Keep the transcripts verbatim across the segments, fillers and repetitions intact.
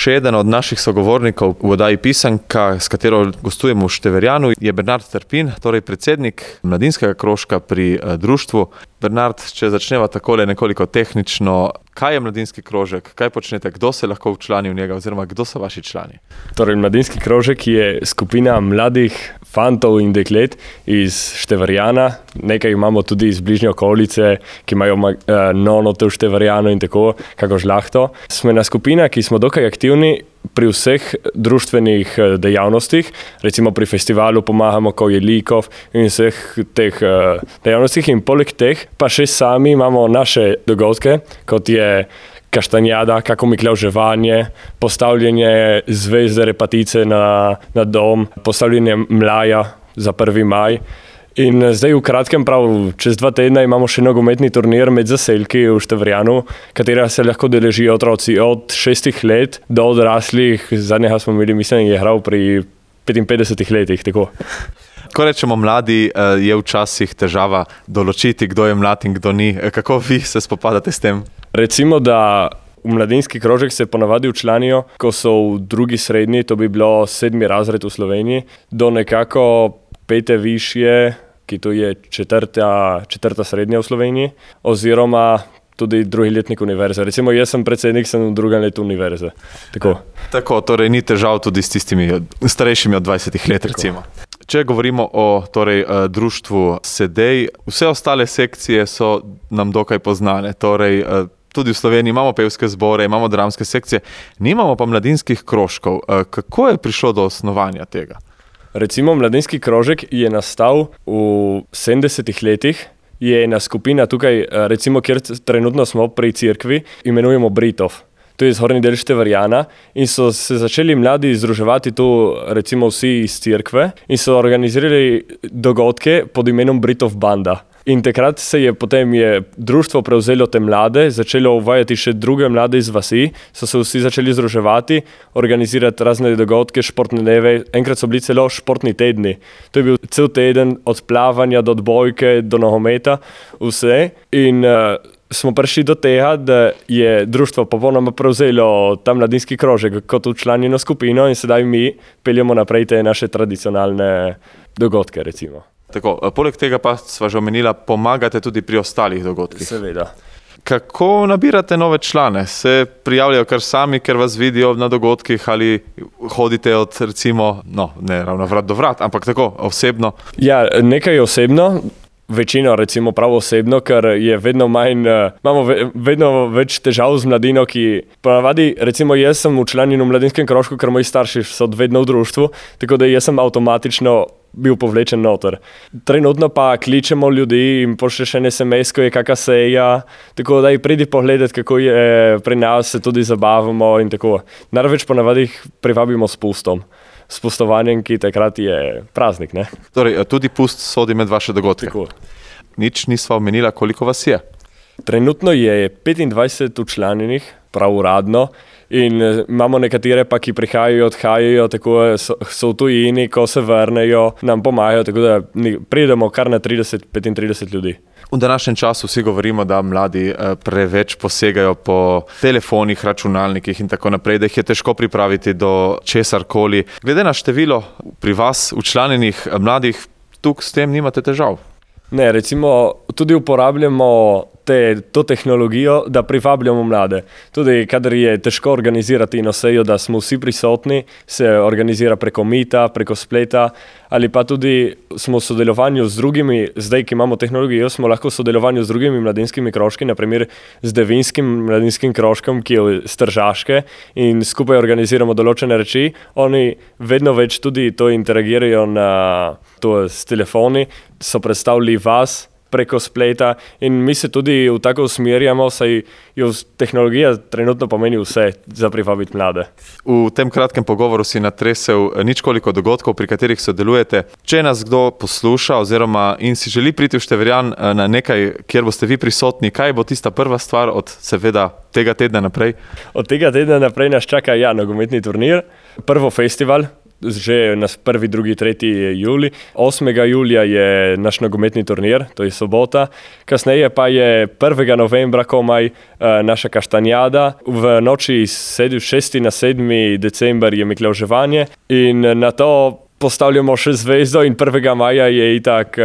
Še eden od naših sogovornikov v oddaji Pisanka, s katero gostujemo v Števerjanu, je Bernard Trpin, torej predsednik mladinskega krožka pri društvu. Bernard, če začneva takole nekoliko tehnično, kaj je mladinski krožek, kaj počnete, kdo se lahko včlani v njega oziroma kdo so vaši člani? Torej, mladinski krožek je skupina mladih fantov in deklet iz Števerjana. Nekaj imamo tudi iz bližnje okolice, ki imajo uh, nonote v Števerjanu in tako, kako žlahto. Sme na skupina, ki smo dokaj aktivni pri vseh društvenih dejavnostih, recimo pri festivalu pomagamo, ko je likov in vseh teh uh, dejavnostih in poleg teh pa še sami imamo naše dogodke, kot je kaštanjada, kako miklavževanje, postavljanje zvezde repatice na, na dom, postavljanje mlaja za prvi maj. In zdaj v kratkem, prav čez dva tedna imamo še nogometni turnir med zaselki v Števerjanu, katera se lahko deležijo otroci od šestih let do odraslih. Zadnjega smo imeli, mislim, je hral pri petinpetdesetih letih, tako. Ko rečemo mladi, je včasih težava določiti, kdo je mlad in kdo ni. Kako vi se spopadate s tem? Recimo, da v mladinski krožek se ponavadi včlanijo, ko so v drugi srednji, to bi bilo sedmi razred v Sloveniji, do nekako pete višje, ki to je četrta, četrta srednja v Sloveniji, oziroma tudi drugi letnik univerze. Recimo, jaz sem predsednik, sem v drugem letu univerze. Tako. Tako, torej ni težav tudi s tistimi starejšimi od dvajsetih let, recimo. Če govorimo o torej, društvu Sedej, vse ostale sekcije so nam dokaj poznane. Torej, tudi v Sloveniji imamo pevske zbore, imamo dramske sekcije, nimamo pa mladinskih krožkov. Kako je prišlo do osnovanja tega? Recimo, mladinski krožek je nastal v sedemdesetih letih. Je ena skupina tukaj, recimo, kjer trenutno smo pri cerkvi, imenujemo Britov. To je zgornji del Števerjana in so se začeli mladi združevati tu, recimo vsi iz cerkve in so organizirali dogodke pod imenom Britov banda. In takrat se je potem je društvo prevzelo te mlade, začelo uvajati še druge mlade iz vasi, so se vsi začeli združevati, organizirati razne dogodke, športne dneve, enkrat so bili celo športni tedni. To je bil cel teden od plavanja do odbojke, do nogometa, vse. In uh, smo prišli do tega, da je društvo popolnoma prevzelo ta mladinski krožek kot včlanjeno skupino in sedaj mi peljemo naprej te naše tradicionalne dogodke, recimo. Tako, poleg tega pa sva že omenila, pomagate tudi pri ostalih dogodkih. Seveda. Kako nabirate nove člane? Se prijavljajo kar sami, ker vas vidijo na dogodkih ali hodite od recimo, no, ne ravno vrat do vrat, ampak tako, osebno? Ja, nekaj osebno. Večino recimo prav osebno, ker je vedno manj, imamo vedno več težav z mladino, ki ponavadi, recimo jaz sem včlanjen v mladinskem krožku, ker moji starši so vedno v društvu, tako da jaz sem avtomatično bil povlečen noter. Trenutno pa kličemo ljudi in pošlješ en es em es, ko je kakšna seja, tako da pridi pogledat, kako je pri nas, se tudi zabavamo in tako. Največ ponavadi jih privabimo s pustom. S pustovanjem, ki takrat je praznik, ne? Torej, tudi pust sodi med vaše dogodke. Tako. Nič nisva omenila, koliko vas je? Trenutno je petindvajset včlanjenih, prav uradno, in imamo nekatere pa, ki prihajajo, odhajajo, tako so, so v tujini, ko se vrnejo, nam pomagajo, tako da pridemo kar na trideset do petintrideset ljudi. V današnjem času vsi govorimo, da mladi preveč posegajo po telefonih, računalnikih in tako naprej, da jih je težko pripraviti do česarkoli. Glede na število pri vas včlanjenih mladih, tukaj s tem nimate težav? Ne, recimo tudi uporabljamo te, to tehnologijo, da privabljamo mlade. Tudi kadar je težko organizirati eno sejo, da smo vsi prisotni, se organizira preko Meeta, preko spleta, ali pa tudi smo v sodelovanju z drugimi, zdaj, ki imamo tehnologijo, smo lahko v sodelovanju z drugimi mladinskimi krožki, naprimer z Devinskim mladinskim krožkom, ki je z Tržaške, in skupaj organiziramo določene reči. Oni vedno več tudi to interagirajo na to s telefoni, so predstavili vas preko spleta in mi se tudi v tako usmerjamo, saj jo tehnologija trenutno pomeni vse za privabiti mlade. V tem kratkem pogovoru si natresel ničkoliko dogodkov, pri katerih sodelujete. Če nas kdo posluša oziroma in si želi priti v Števerjan na nekaj, kjer boste vi prisotni, kaj bo tista prva stvar od seveda tega tedna naprej? Od tega tedna naprej nas čaka ja, nogometni turnir, prvo festival, že na prvi, drugi, tretji julij. osmega julija je naš nogometni turnir, to je sobota. Kasneje pa je prvega novembra komaj naša kaštanjada. V noči iz šestega na sedmi december je miklavževanje in na to postavljamo še zvezdo in prvega maja je itak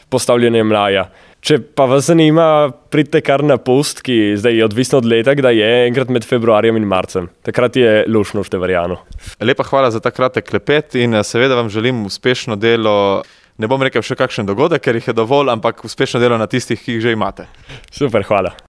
postavljanje mlaja. Če pa vas zanima, pridite kar na pust, ki zdaj je odvisno od leta, kdaj je, enkrat med februarjem in marcem. Takrat je luštno v Števarjanu. Lepa hvala za ta kratek klepet in seveda vam želim uspešno delo. Ne bom rekel še kakšen dogodek, ker jih je dovolj, ampak uspešno delo na tistih, ki jih že imate. Super, hvala.